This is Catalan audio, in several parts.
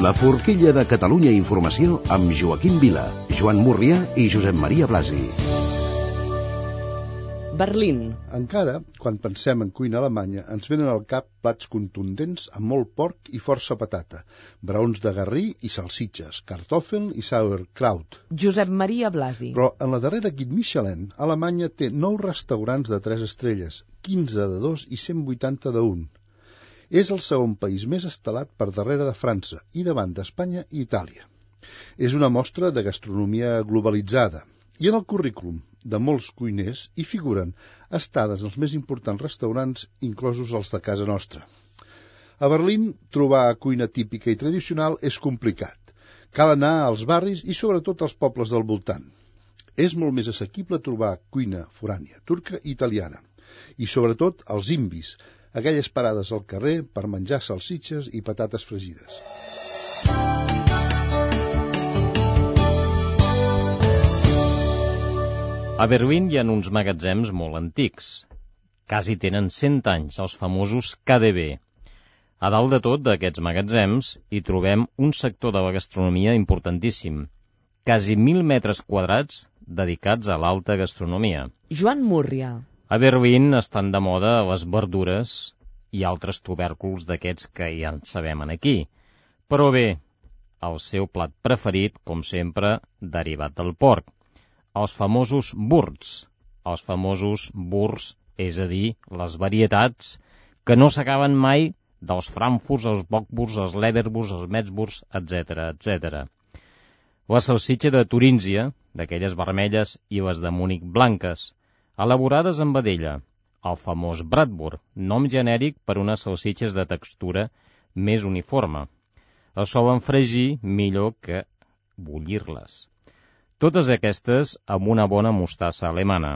La forquilla de Catalunya Informació amb Joaquim Vila, Joan Murrià i Josep Maria Blasi. Berlín. Encara, quan pensem en cuina alemanya, ens venen al cap plats contundents amb molt porc i força patata, braons de garrí i salsitxes, kartoffeln i sauerkraut. Josep Maria Blasi. Però en la darrera Guide Michelin, Alemanya té 9 restaurants de 3 estrelles, 15 de 2 i 180 de 1. És el segon país més estelat per darrere de França i davant d'Espanya i Itàlia. És una mostra de gastronomia globalitzada. I en el currículum de molts cuiners hi figuren estades als més importants restaurants, inclosos els de casa nostra. A Berlín, trobar cuina típica i tradicional és complicat. Cal anar als barris i sobretot als pobles del voltant. És molt més assequible trobar cuina forània, turca i italiana. I sobretot els imbis, aquelles parades al carrer per menjar salsitxes i patates fregides. A Berlín hi ha uns magatzems molt antics. Quasi tenen 100 anys, els famosos KDW. A dalt de tot d'aquests magatzems hi trobem un sector de la gastronomia importantíssim. Quasi 1.000 metres quadrats dedicats a l'alta gastronomia. Joan Murrià. A Berlín estan de moda les verdures i altres tubèrculs d'aquests que ja en sabem aquí. Però bé, el seu plat preferit, com sempre, derivat del porc. Els famosos Wursts. Els famosos Wursts, és a dir, les varietats que no s'acaben mai dels Frankfurts, els Bockwursts, els Leberwursts, els Metzwursts, etc., etc. La salsitxa de Turíngia, d'aquelles vermelles, i les de Múnich blanques, elaborades amb vedella, el famós Bratwurst, nom genèric per unes salsitxes de textura més uniforme. Es solen fregir millor que bullir-les. Totes aquestes amb una bona mostassa alemana.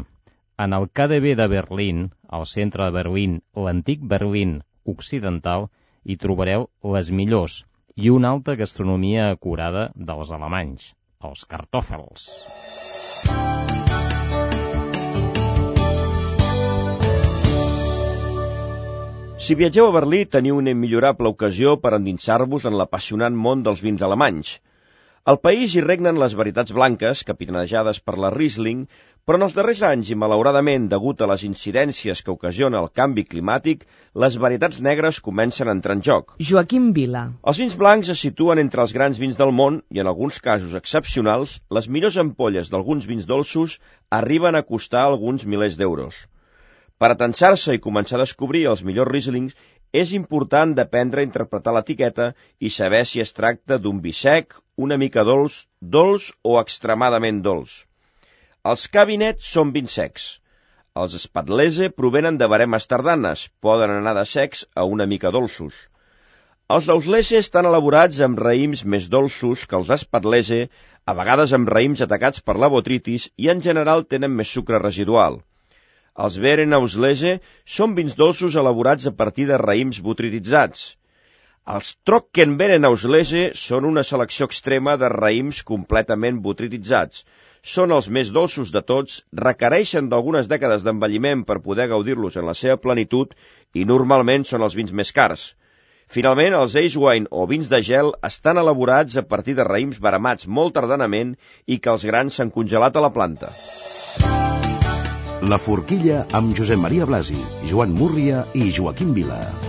En el KDW de Berlín, al centre de Berlín, l'antic Berlín occidental, hi trobareu les millors i una alta gastronomia acurada dels alemanys, els Kartoffels. Si viatgeu a Berlí, teniu una immillorable ocasió per endinsar-vos en l'apassionant món dels vins alemanys. Al país hi regnen les varietats blanques, capitanejades per la Riesling, però en els darrers anys, i malauradament degut a les incidències que ocasiona el canvi climàtic, les varietats negres comencen a entrar en joc. Joaquim Vila. Els vins blancs es situen entre els grans vins del món i, en alguns casos excepcionals, les millors ampolles d'alguns vins dolços arriben a costar alguns milers d'euros. Per atensar-se i començar a descobrir els millors Rieslings, és important d'aprendre a interpretar l'etiqueta i saber si es tracta d'un vi sec, una mica dolç, dolç o extremadament dolç. Els Kabinett són vins secs. Els Spätlese provenen de baremes tardanes, poden anar de secs a una mica dolços. Els Auslese estan elaborats amb raïms més dolços que els Spätlese, a vegades amb raïms atacats per la botritis i en general tenen més sucre residual. Els Beerenauslese són vins dolços elaborats a partir de raïms botrititzats. Els Trockenbeerenauslese són una selecció extrema de raïms completament botrititzats. Són els més dolços de tots, requereixen d'algunes dècades d'envelliment per poder gaudir-los en la seva plenitud i normalment són els vins més cars. Finalment, els Ice Wine o vins de gel estan elaborats a partir de raïms baremats molt tardanament i que els grans s'han congelat a la planta. La forquilla amb Josep Maria Blasi, Joan Murrià i Joaquim Vila.